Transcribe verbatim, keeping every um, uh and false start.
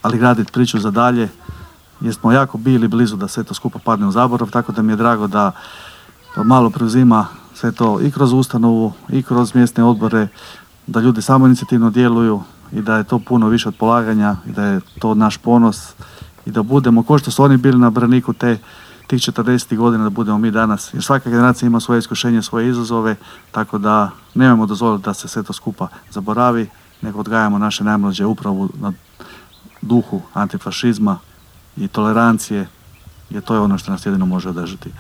ali graditi priču za dalje, jer smo jako bili blizu da sve to skupa padne u zaborav, tako da mi je drago da malo preuzima sve to i kroz ustanovu i kroz mjesne odbore, da ljudi samoinicijativno djeluju i da je to puno više od polaganja i da je to naš ponos i da budemo, ko što su oni bili na braniku te, tih četrdesetih godina, da budemo mi danas. Jer svaka generacija ima svoje iskušenje, svoje izazove, tako da nemojmo dozvoliti da se sve to skupa zaboravi, nego odgajamo naše najmlađe upravo na duhu antifašizma i tolerancije, jer to je ono što nas jedino može održati.